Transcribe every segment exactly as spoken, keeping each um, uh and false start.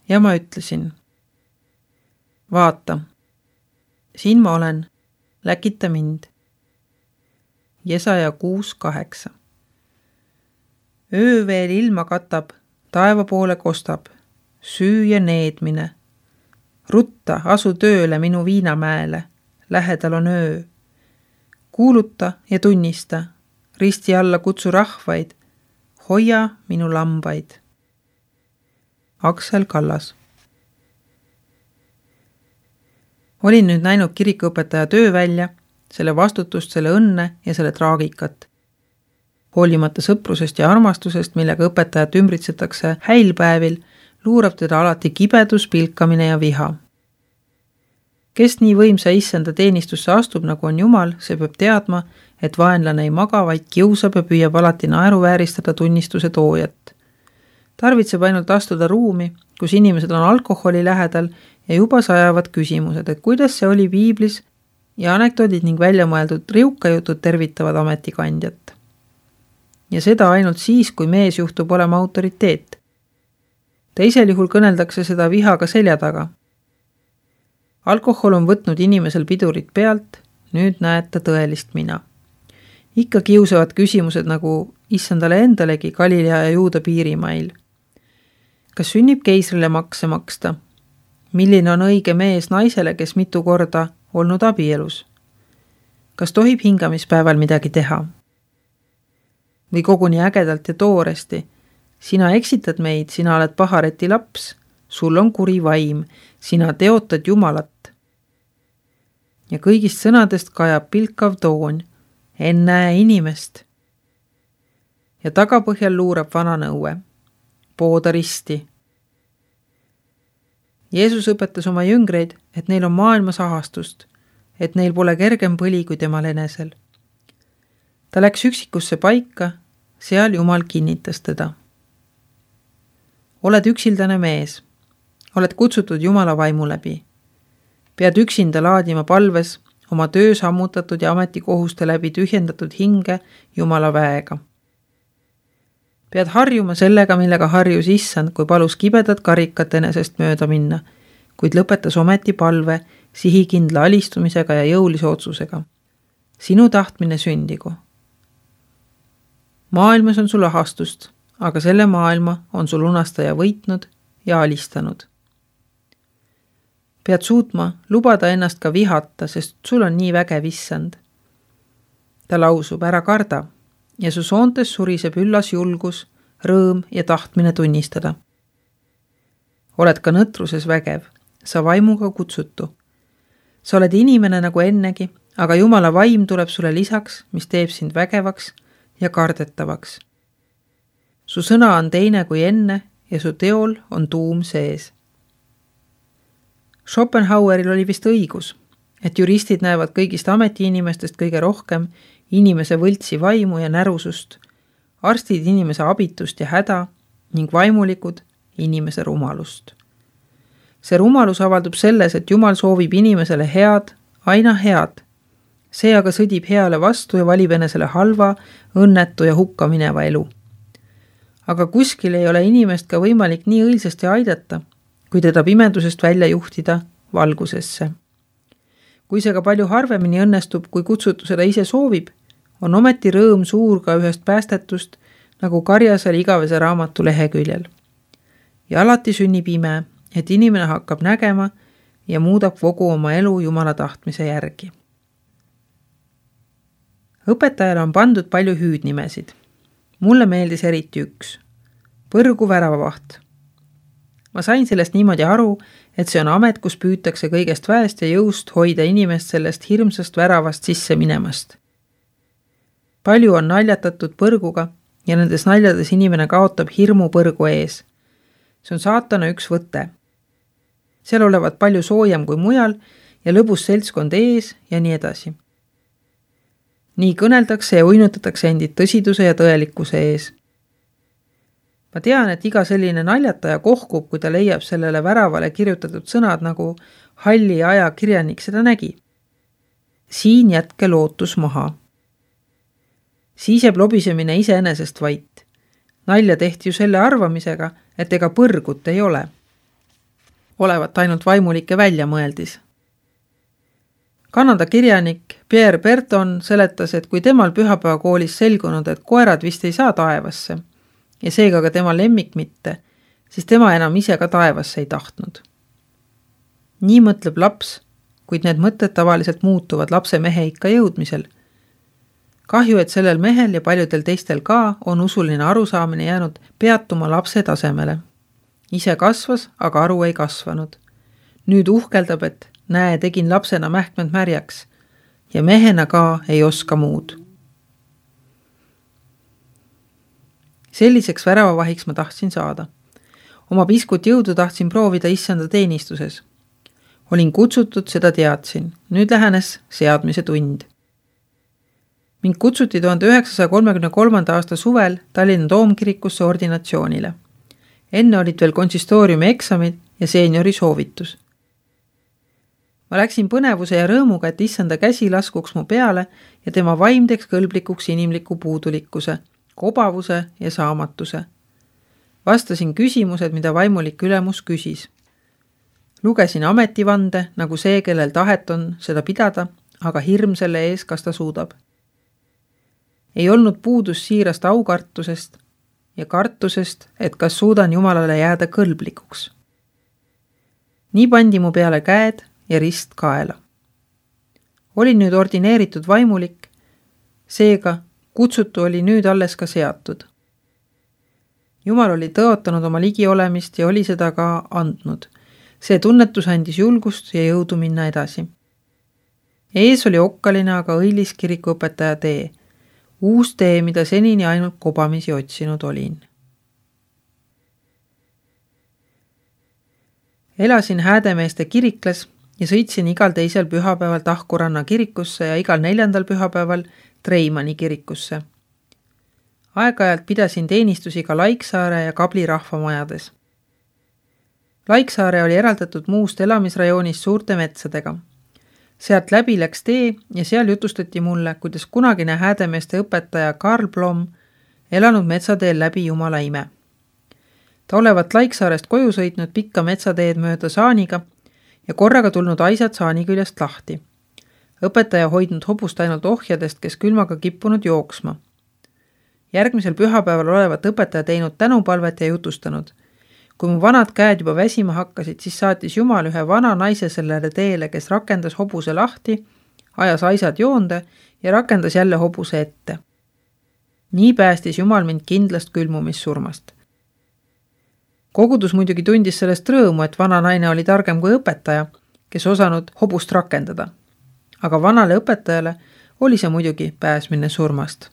ja ma ütlesin: vaata, siin ma olen, läkita mind. Jesaja kuus kaheksa. Öö veel ilma katab, taeva poole kostab, süü ja needmine. Rutta, asu tööle minu viinamäele, lähedal on öö. Kuuluta ja tunnista, risti alla kutsu rahvaid, hoia minu lambaid. Aksel Kallas. Olin nüüd näinud kirikuõpetaja töö välja, selle vastutust, selle õnne ja selle traagikat. Hoolimata sõprusest ja armastusest, millega õpetajat ümbritsetakse häilpäevil, luurab teda alati kibedus, pilkamine ja viha. Kes nii võimsa issanda teenistusse astub, nagu on Jumal, see peab teadma, et vaenlane ei maga, vaid kiusab ja püüab alati naeruvääristada tunnistuse toojat. Tarvitseb ainult astuda ruumi, kus inimesed on alkoholi lähedal ja juba sajavad küsimused, et kuidas see oli piiblis, ja anekdoodid ning väljamõeldud riukajutud tervitavad ametikandjat. Ja seda ainult siis, kui mees juhtub olema autoriteet. Teisel juhul kõneldakse seda vihaga selja taga. Alkohol on võtnud inimesel pidurit pealt, nüüd näed ta tõelist mina. Ikka kiusavad küsimused nagu issandale endalegi Galilea ja Juuda piirimail. Kas sünnib keisrile makse maksta? Milline on õige mees naisele, kes mitu korda olnud abielus? Kas tohib hingamispäeval midagi teha? Või koguni ägedalt ja tooresti? Sina eksitad meid, sina oled pahareti laps, sul on kuri vaim, sina teotad Jumalat. Ja kõigist sõnadest kajab pilkav toon, ennäe inimest. Ja tagapõhjal luurab vana nõue, pooda risti. Jeesus õpetas oma jüngreid, et neil on maailmas ahastust, et neil pole kergem põli kui temal enesel. Ta läks üksikusse paika, seal Jumal kinnitas teda. Oled üksildane mees, oled kutsutud Jumala vaimu läbi. Pead üksinda laadima palves oma töö sammutatud ja ametikohuste läbi tühjendatud hinge Jumala väega. Pead harjuma sellega, millega harjus issand, kui palus kibedat karikat enesest mööda minna, kuid lõpetas ometi palve sihikindla alistumisega ja jõulise otsusega. Sinu tahtmine sündigu. Maailmas on sul ahastust, aga selle maailma on sul unastaja võitnud ja alistanud. Pead suutma lubada ennast ka vihata, sest sul on nii vägev issand. Ta lausub, ära karda, ja su soontes suriseb üllas julgus, rõõm ja tahtmine tunnistada. Oled ka nõtruses vägev, sa vaimuga kutsutu. Sa oled inimene nagu ennegi, aga Jumala vaim tuleb sulle lisaks, mis teeb sind vägevaks ja kardetavaks. Su sõna on teine kui enne ja su teol on tuum sees. Schopenhaueril oli vist õigus, et juristid näevad kõigist ametiinimestest kõige rohkem inimese võltsi vaimu ja närusust, arstid inimese abitust ja häda ning vaimulikud inimese rumalust. See rumalus avaldub selles, et Jumal soovib inimesele head, aina head. See aga sõdib heale vastu ja valib enesele halva, õnnetu ja hukka mineva elu. Aga kuskil ei ole inimest ka võimalik nii õilsasti aidata, kui teda pimedusest välja juhtida valgusesse. Kui see ka palju harvemini õnnestub, kui kutsutu seda ise soovib, on ometi rõõm suur ka ühest päästetust, nagu Karjasel igavese raamatu leheküljel. Ja alati sünnib ime, et inimene hakkab nägema ja muudab kogu oma elu Jumala tahtmise järgi. Õpetajale on pandud palju hüüdnimesid. Mulle meeldis eriti üks. Põrgu väravavaht. Ma sain sellest niimoodi aru, et see on amet, kus püütakse kõigest väest ja jõust hoida inimest sellest hirmsast väravast sisse minemast. Palju on naljatatud põrguga ja nendes naljades inimene kaotab hirmu põrgu ees. See on saatana üks võte. Seal olevat palju soojem kui mujal ja lõbus seltskond ees ja nii edasi. Nii kõneldakse ja uinutatakse endid tõsiduse ja tõelikkuse ees. Ma tean, et iga selline naljataja kohkub, kui ta leiab sellele väravale kirjutatud sõnad, nagu halli aja kirjanik seda nägi. Siin jätke lootus maha. Siis jääb lobisemine iseenesest vait. Nalja tehti ju selle arvamisega, et ega põrgut ei ole. olevat ainult vaimulike väljamõeldis. Kanada kirjanik Pierre Berton seletas, et kui temal pühapäevakoolis selgunud, et koerad vist ei saa taevasse ja seega ka tema lemmik mitte, siis tema enam ise ka taevasse ei tahtnud. Nii mõtleb laps, kuid need mõtted tavaliselt muutuvad lapse mehe ikka jõudmisel. Kahju, et sellel mehel ja paljudel teistel ka on usuline arusaamine jäänud peatuma lapse tasemele. Ise kasvas, aga aru ei kasvanud. Nüüd uhkeldab, et näe, tegin lapsena mähkmed märjaks ja mehena ka ei oska muud. Selliseks väravavahiks ma tahtsin saada. Oma piskut jõudu tahtsin proovida issanda teenistuses. Olin kutsutud, seda teadsin. Nüüd lähenes seadmise tund. Mind kutsuti tuhande üheksasaja kolmekümne kolmanda aasta suvel Tallinna Toomkirikusse ordinatsioonile. Enne olid veel konsistooriumi eksamid ja seeniori soovitus. Ma läksin põnevuse ja rõõmuga, et issanda käsi laskuks mu peale ja tema vaim teeks kõlblikuks inimliku puudulikkuse, kobavuse ja saamatuse. Vastasin küsimused, mida vaimulik ülemus küsis. Lugesin ametivande, nagu see, kellel tahet on seda pidada, aga hirm selle ees, kas ta suudab. Ei olnud puudus siirast aukartusest ja kartusest, et kas suudan Jumalale jääda kõlblikuks. Nii pandi mu peale käed ja rist kaela. Olin nüüd ordineeritud vaimulik, seega kutsutu oli nüüd alles ka seatud. Jumal oli tõotanud oma ligiolemist ja oli seda ka andnud. See tunnetus andis julgust ja jõudu minna edasi. Ees oli okkaline, aga õilis kirikuõpetaja tee. Uus tee, mida senini ainult kobamisi otsinud olin. Elasin Häädemeeste kiriklas ja sõitsin igal teisel pühapäeval Tahkuranna kirikusse ja igal neljandal pühapäeval Treimani kirikusse. Aeg-ajalt pidasin teenistusi ka Laiksaare ja Kabli rahvamajades. Laiksaare oli eraldatud muust elamisrajoonist suurte metsadega. Sealt läbi läks tee ja seal jutustati mulle, kuidas kunagine Häädemeeste õpetaja Karl Blom elanud metsateel läbi Jumala ime. Ta olevat Laiksaarest koju sõitnud pikka metsateed mööda saaniga ja korraga tulnud aisad saani küljest lahti. Õpetaja hoidnud hobust ainult ohjadest, kes külmaga kippunud jooksma. Järgmisel pühapäeval olevat õpetaja teinud tänupalvet ja jutustanud. Kui mu vanad käed juba väsima hakkasid, siis saatis Jumal ühe vana naise sellele teele, kes rakendas hobuse lahti, ajas aisad joonde ja rakendas jälle hobuse ette. Nii päästis Jumal mind kindlast külmumissurmast. Kogudus muidugi tundis sellest rõõmu, et vana naine oli targem kui õpetaja, kes osanud hobust rakendada. Aga vanale õpetajale oli see muidugi pääsmine surmast.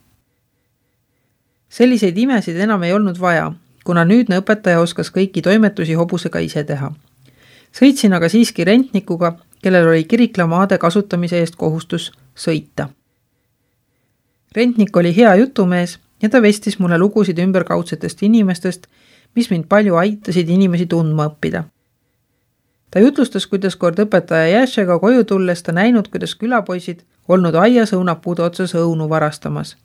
Selliseid imesid enam ei olnud vaja, kuna nüüdne õpetaja oskas kõiki toimetusi hobusega ise teha. Sõitsin aga siiski rentnikuga, kellel oli kiriklamaade kasutamise eest kohustus sõita. Rentnik oli hea jutumees ja ta vestis mulle lugusid ümberkaudsetest inimestest, mis mind palju aitasid inimesi tundma õppida. Ta jutlustas, kuidas kord õpetaja Jääšega koju tulles ta näinud, kuidas külapoisid olnud aias õunapuude otsas õunu varastamas.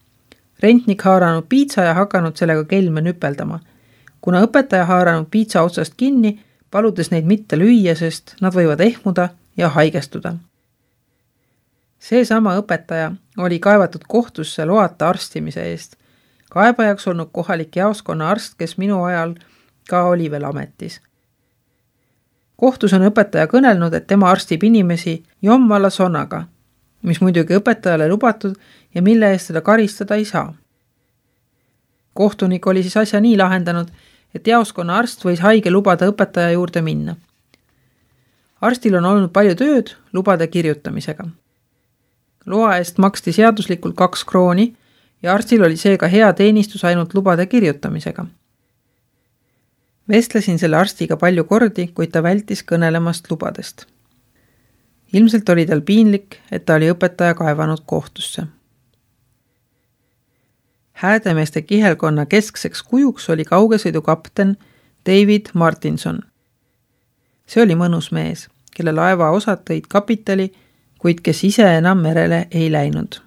Rentnik haaranud piitsa ja hakanud sellega kelme nüpeldama. Kuna õpetaja haaranud piitsa otsast kinni, paludes neid mitte lüüa, sest nad võivad ehmuda ja haigestuda. Seesama õpetaja oli kaevatud kohtusse loata arstimise eest. Kaebajaks olnud kohalik jaoskonna arst, kes minu ajal ka oli veel ametis. Kohtus on õpetaja kõnelnud, et tema arstib inimesi jommala sonaga, mis muidugi õpetajale lubatud ja mille eest seda karistada ei saa. Kohtunik oli siis asja nii lahendanud, et jaoskonna arst võis haige lubada õpetaja juurde minna. Arstil on olnud palju tööd lubade kirjutamisega. Loa eest maksti seaduslikult kaks krooni ja arstil oli seega hea teenistus ainult lubade kirjutamisega. Vestlesin selle arstiga palju kordi, kuid ta vältis kõnelemast lubadest. Ilmselt oli tal piinlik, et ta oli õpetaja kaevanud kohtusse. Häädemeeste kihelkonna keskseks kujuks oli kaugesõidu kapten David Martinson. See oli mõnus mees, kelle laeva osad tõid kapitali, kuid kes ise enam merele ei läinud.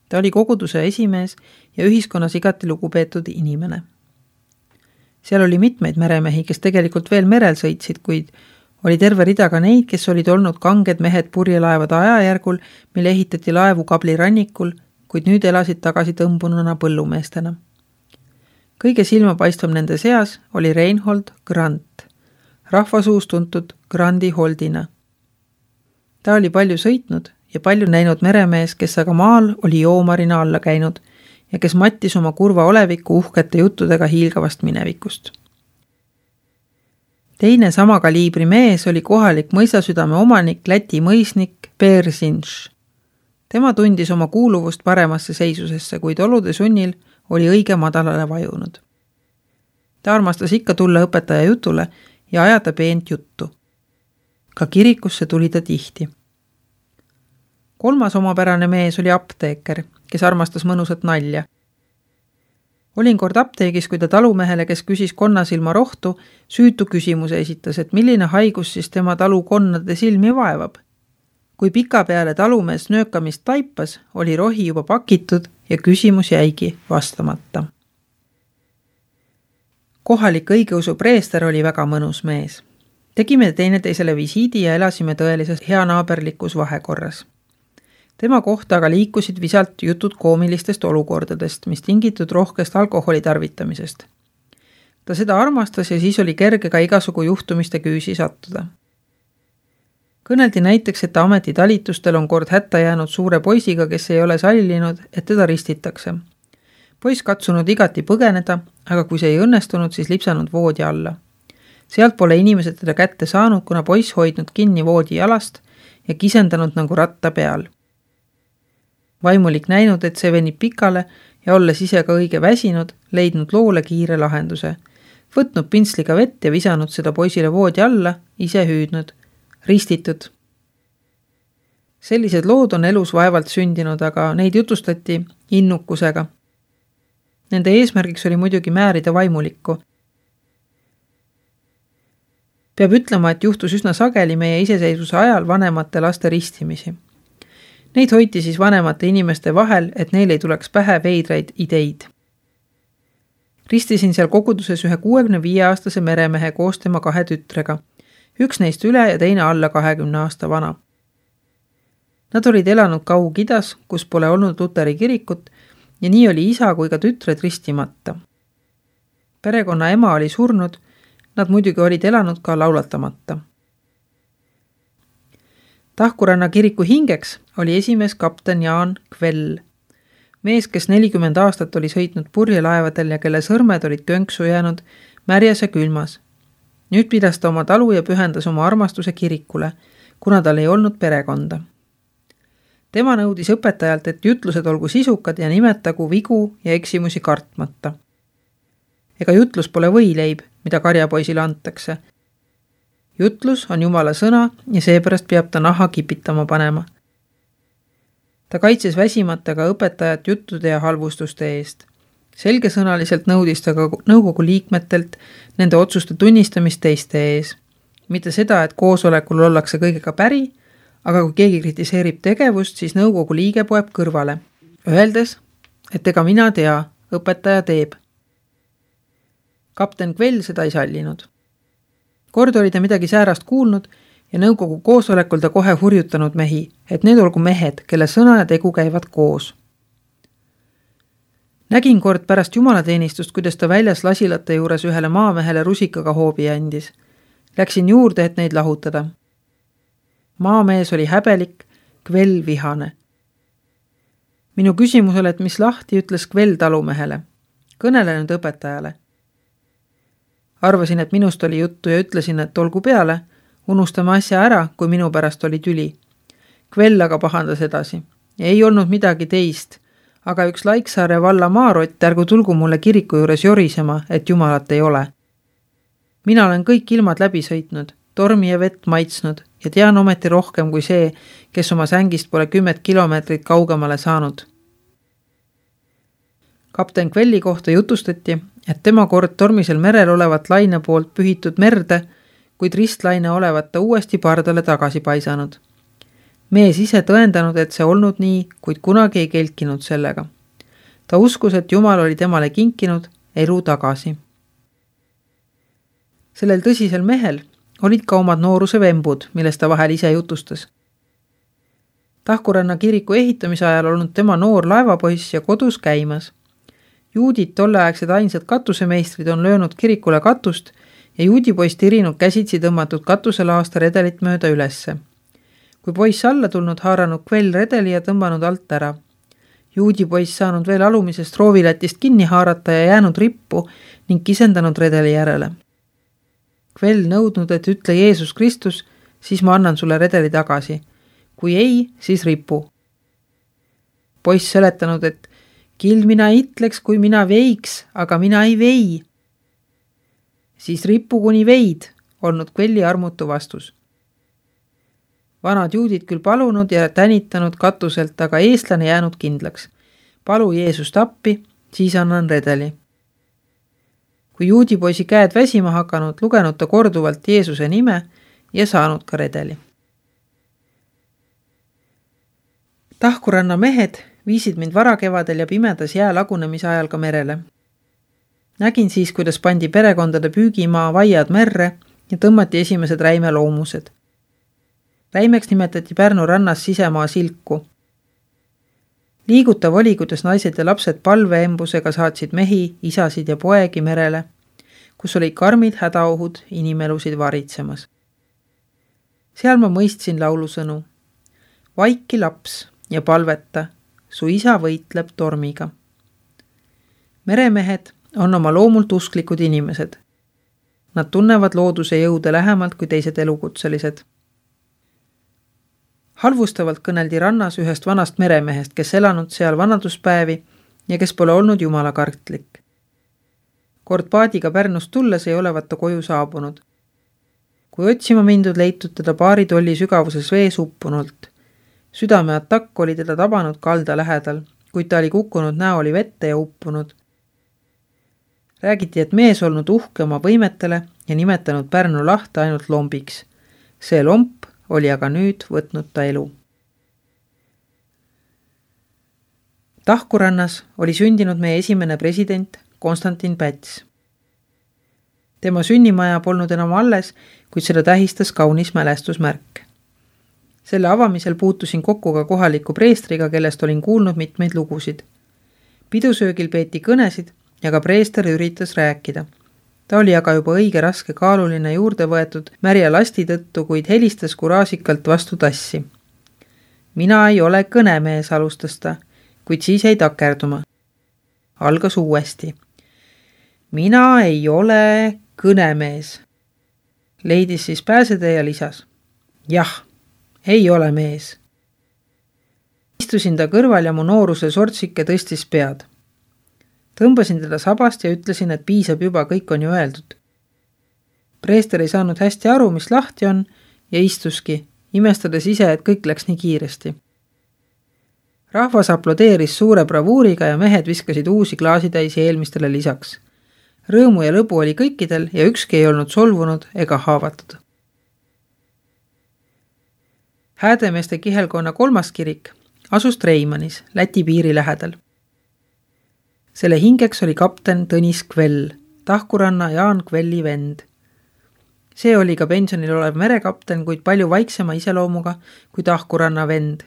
Ta oli koguduse esimees ja ühiskonnas igati lugupeetud inimene. Seal oli mitmeid meremehi, kes tegelikult veel merel sõitsid, kuid Oli terve rida ka neid, kes olid olnud kanged mehed purjelaevade ajajärgul, mille ehitati laevu Kabli rannikul, kuid nüüd elasid tagasi tõmbununa põllumeestena. Kõige silmapaistvam nende seas oli Reinhold Grant, rahvasuus tuntud Grandi Holdina. Ta oli palju sõitnud ja palju näinud meremees, kes aga maal oli joomarina alla käinud ja kes mattis oma kurva oleviku uhkete juttudega hiilgavast minevikust. Teine sama kaliibri mees oli kohalik mõisasüdame omanik, Läti mõisnik Persinš. Tema tundis oma kuuluvust paremasse seisusesse, kuid olude sunnil oli õige madalale vajunud. Ta armastas ikka tulla õpetaja jutule ja ajada peent juttu. Ka kirikusse tuli ta tihti. Kolmas omapärane mees oli apteeker, kes armastas mõnusat nalja. Olin kord apteegis, kui ta talumehele, kes küsis konnasilma rohtu, süütu küsimuse esitas, et milline haigus siis tema talu konnade silmi vaevab. Kui pika peale talumees nöökamist taipas, oli rohi juba pakitud ja küsimus jäigi vastamata. Kohalik õigeusu preester oli väga mõnus mees. Tegime teineteisele visiidi ja elasime tõelises heanaaberlikus vahekorras. Tema kohta aga liikusid visalt jutud koomilistest olukordadest, mis tingitud rohkest alkoholi tarvitamisest. Ta seda armastas ja siis oli kerge ka igasugu juhtumiste küüsi sattuda. Kõneldi näiteks, et ametitalitustel on kord hätta jäänud suure poisiga, kes ei ole sallinud, et teda ristitakse. Poiss katsunud igati põgeneda, aga kui see ei õnnestunud, siis lipsanud voodi alla. Sealt pole inimesed teda kätte saanud, kuna poiss hoidnud kinni voodi jalast ja kisendanud nagu ratta peal. Vaimulik näinud, et see venib pikale ja olles ise ka õige väsinud, leidnud loole kiire lahenduse. Võtnud pintsliga vett ja visanud seda poisile voodi alla, ise hüüdnud. Ristitud. Sellised lood on elus vaevalt sündinud, aga neid jutustati innukusega. Nende eesmärgiks oli muidugi määrida vaimulikku. Peab ütlema, et juhtus üsna sageli meie iseseisvuse ajal vanemate laste ristimisi. Neid hoiti siis vanemate inimeste vahel, et neil ei tuleks pähe veidraid ideid. Ristisin seal koguduses ühe kuuekümne viie aastase meremehe koos tema kahe tütrega. Üks neist üle ja teine alla kahekümne aasta vana. Nad olid elanud Kaug-Idas, kus pole olnud luteri kirikut ja nii oli isa kui ka tütred ristimata. Perekonna ema oli surnud, nad muidugi olid elanud ka laulatamata. Tahkuranna kiriku hingeks oli esimees kapten Jaan Kvell, mees, kes nelikümmend aastat oli sõitnud purjelaevadel ja kelle sõrmed olid könksu jäänud märjas ja külmas. Nüüd pidas ta oma talu ja pühendas oma armastuse kirikule, kuna tal ei olnud perekonda. Tema nõudis õpetajalt, et jutlused olgu sisukad ja nimetagu vigu ja eksimusi kartmata. Ega jutlus pole võileib, mida karjapoisile antakse. Jutlus on Jumala sõna ja seepärast peab ta naha kipitama panema. Ta kaitses väsimata ka õpetajat juttude ja halvustuste eest. Selgesõnaliselt nõudis ta ka nõukogu liikmetelt nende otsuste tunnistamist teiste ees. Mitte seda, et koosolekul ollakse kõigega päri, aga kui keegi kritiseerib tegevust, siis nõukogu liige poeb kõrvale, öeldes, et ega mina tea, õpetaja teeb. Kapten Kvell seda ei sallinud. Kord oli ta midagi säärast kuulnud ja nõukogu koosolekul ta kohe hurjutanud mehi, et need olgu mehed, kelle sõna ja tegu käivad koos. Nägin kord pärast jumalateenistust, kuidas ta väljas lasilate juures ühele maamehele rusikaga hoobi andis. Läksin juurde, et neid lahutada. Maamees oli häbelik, Kvell vihane. Minu küsimusele, et mis lahti, ütles Kvell talumehele. Kõnele nüüd õpetajale. Arvasin, et minust oli juttu ja ütlesin, et olgu peale, unustame asja ära, kui minu pärast oli tüli. Kvell aga pahandas edasi. Ei olnud midagi teist, aga üks Laiksaare valla maarott, ärgu tulgu mulle kiriku juures jorisema, et jumalat ei ole. Mina olen kõik ilmad läbi sõitnud, tormi ja vett maitsnud ja tean ometi rohkem kui see, kes oma sängist pole kümmet kilomeetrit kaugemale saanud. Kapten Kvelli kohta jutustati, et tema kord tormisel merel olevat laine poolt pühitud merde, kuid ristlaine olevat ta uuesti pardale tagasi paisanud. Mees ise tõendanud, et see olnud nii, kuid kunagi ei kelkinud sellega. Ta uskus, et Jumal oli temale kinkinud elu tagasi. Sellel tõsisel mehel olid ka omad nooruse vembud, millest ta vahel ise jutustas. Tahkuranna kiriku ehitamise ajal olnud tema noor laevapoiss ja kodus käimas. Juudid tolleaegsed ainsad katusemeistrid on löönud kirikule katust ja juudipoiss tirinud käsitsi tõmmatud katuselaasta redelit mööda ülesse. Kui poiss alla tulnud, haaranud kvell redeli ja tõmbanud alt ära. Juudipoiss saanud veel alumisest roovilätist kinni haarata ja jäänud rippu ning kisendanud redeli järele. Kvell nõudnud, et ütle Jeesus Kristus, siis ma annan sulle redeli tagasi. Kui ei, siis ripu. Poiss seletanud, et kild mina itleks, kui mina veiks, aga mina ei vei. Siis ripu kuni veid, olnud kvelli armutu vastus. Vanad juudid küll palunud ja tänitanud katuselt, aga eestlane jäänud kindlaks. Palu Jeesust appi, siis annan redeli. Kui juudipoisi käed väsima hakanud, lugenud ta korduvalt Jeesuse nime ja saanud ka redeli. Tahkuranna mehed viisid mind varakevadel ja pimedas jää lagunemise ajal ka merele. Nägin siis, kuidas pandi perekondade püügimaa vaiad merre ja tõmmati esimesed räime loomused. Räimeks nimetati Pärnu rannas sisemaa silku. Liigutav oli, kuidas naised ja lapsed palveembusega saatsid mehi, isasid ja poegi merele, kus olid karmid hädaohud inimelusid varitsemas. Seal ma mõistsin laulusõnu. Vaiki laps ja palveta, su isa võitleb tormiga. Meremehed on oma loomult usklikud inimesed. Nad tunnevad looduse jõude lähemalt kui teised elukutselised. Halvustavalt kõneldi rannas ühest vanast meremehest, kes elanud seal vanaduspäevi ja kes pole olnud jumalakartlik. Kord paadiga Pärnust tulles ei olevat ta koju saabunud. Kui otsima mindud, leitud teda paari tolli sügavuses vees uppunult. Südame atakk oli teda tabanud kalda lähedal, kuid ta oli kukkunud näoli vette ja uppunud. Räägiti, et mees olnud uhke oma võimetele ja nimetanud Pärnu lahte ainult lombiks. See lomp oli aga nüüd võtnud ta elu. Tahkurannas oli sündinud meie esimene president Konstantin Päts. Tema sünnimaja polnud enam alles, kuid seda tähistas kaunis mälestusmärk. Selle avamisel puutusin kokku ka kohaliku preestriga, kellest olin kuulnud mitmeid lugusid. Pidusöögil peeti kõnesid ja ka preester üritas rääkida. Ta oli aga juba õige raske kaaluline juurde võetud märja lasti tõttu, kuid helistas kuraasikalt vastu tassi. Mina ei ole kõnemees, alustas ta, kuid siis jäi takerduma. Algas uuesti. Mina ei ole kõnemees. Leidis siis pääsede ja lisas. Jah, ei ole mees. Istusin ta kõrval ja mu nooruse sortsike tõstis pead. Tõmbasin teda sabast ja ütlesin, et piisab juba, kõik on ju öeldud. Preester ei saanud hästi aru, mis lahti on, ja istuski, imestades ise, et kõik läks nii kiiresti. Rahvas aplodeeris suure bravuuriga ja mehed viskasid uusi klaasitäisi eelmistele lisaks. Rõõmu ja lõbu oli kõikidel ja ükski ei olnud solvunud ega haavatud. Häädemeeste kihelkonna kolmas kirik asus Treimanis, Läti piiri lähedal. Selle hingeks oli kapten Tõnis Kvell, Tahkuranna Jaan Kvelli vend. See oli ka pensionil olev merekapten, kuid palju vaiksema iseloomuga kui Tahkuranna vend.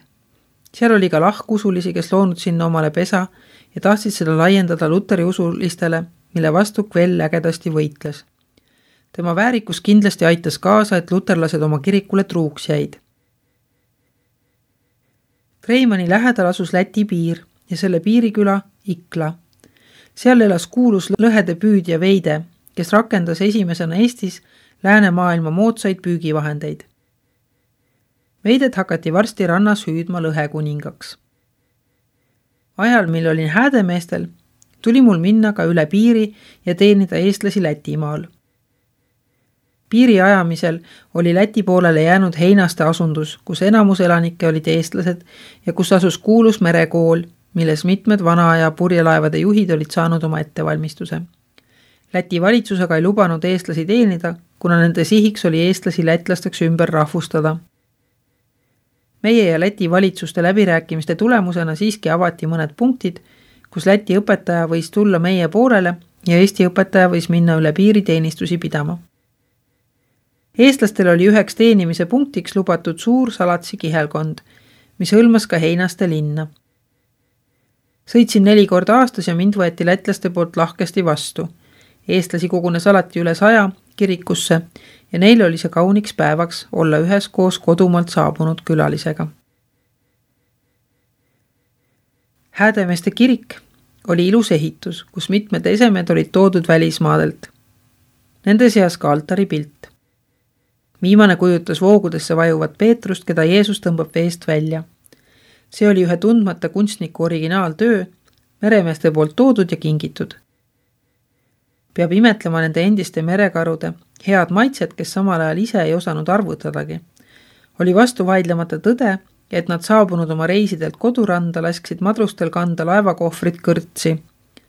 Seal oli ka lahkusulisi, kes loonud sinna omale pesa ja tahtsid seda laiendada luteri usulistele, mille vastu Kvell ägedasti võitles. Tema väärikus kindlasti aitas kaasa, et luterlased oma kirikule truuks jäid. Treimani lähedal asus Läti piir ja selle piiriküla Ikla. Seal elas kuulus lõhede püüdja Veide, kes rakendas esimesena Eestis läänemaailma moodsaid püügivahendeid. Veidet hakati varsti rannas hüüdma lõhekuningaks. Ajal, mil olin häädemeestel, tuli mul minna ka üle piiri ja teenida eestlasi Lätimaal. Piiri ajamisel oli Läti poolele jäänud Heinaste asundus, kus enamus elanikke olid eestlased ja kus asus kuulus merekool, milles mitmed vanaaja purjelaevade juhid olid saanud oma ettevalmistuse. Läti valitsusega ei lubanud eestlasi teenida, kuna nende sihiks oli eestlasi lätlasteks ümber rahvustada. Meie ja Läti valitsuste läbirääkimiste tulemusena siiski avati mõned punktid, kus Läti õpetaja võis tulla meie poolele ja Eesti õpetaja võis minna üle piiri teenistusi pidama. Eestlastel oli üheks teenimise punktiks lubatud suur salatsi kihelkond, mis hõlmas ka Heinaste linna. Sõitsin neli korda aastas ja mind võeti lätlaste poolt lahkesti vastu. Eestlasi kogunes alati üle saja kirikusse ja neil oli see kauniks päevaks olla ühes koos kodumalt saabunud külalisega. Häädemeeste kirik oli ilus ehitus, kus mitmed esemed olid toodud välismaadelt. Nende seas ka altari pilt. Viimane kujutas voogudesse vajuvat Peetrust, keda Jeesus tõmbab veest välja. See oli ühe tundmata kunstniku originaaltöö, meremeeste poolt toodud ja kingitud. Peab imetlema nende endiste merekarude, head maitset, kes samal ajal ise ei osanud arvutadagi. Oli vastu vaidlemata tõde, et nad saabunud oma reisidelt koduranda lasksid madrustel kanda laevakohvrit kõrtsi,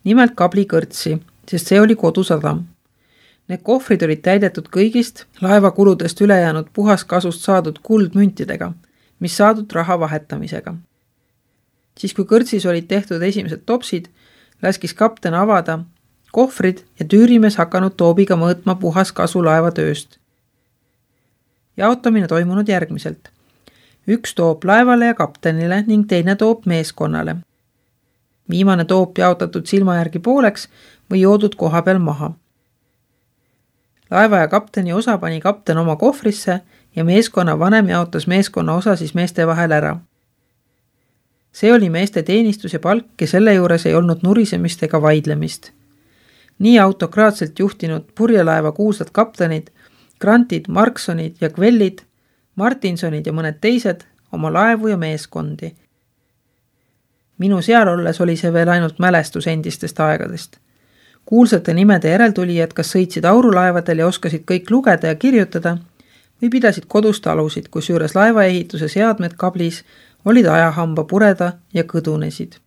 nimelt kabli kõrtsi, sest see oli kodusadam. Need kohvrid olid täidetud kõigist laevakuludest ülejäänud puhaskasust saadud kuldmüntidega, mis saadud raha vahetamisega. Siis kui kõrtsis olid tehtud esimesed topsid, laskis kapten avada kohvrid ja tüürimees hakanud toobiga mõõtma puhaskasu laevatööst. Jaotamine toimunud järgmiselt. Üks toob laevale ja kaptenile ning teine toob meeskonnale. Viimane toob jaotatud silma järgi pooleks või joodud koha peal maha. Laeva ja kapteni osa pani kapten oma kohvrisse ja meeskonna vanem jaotas meeskonna osa siis meeste vahel ära. See oli meeste teenistus ja palk ja selle juures ei olnud nurisemist ega vaidlemist. Nii autokraatselt juhtinud purjelaeva kuulsad kaptenid, Grantid, Marksonid ja Kvellid, Martinsonid ja mõned teised oma laevu ja meeskondi. Minu seal olles oli see veel ainult mälestus endistest aegadest. Kuulsate nimede järeltulijad kas sõitsid aurulaevadel ja oskasid kõik lugeda ja kirjutada või pidasid kodust alusid, kus juures laevaehituse seadmed kablis olid ajahamba pureda ja kõdunesid.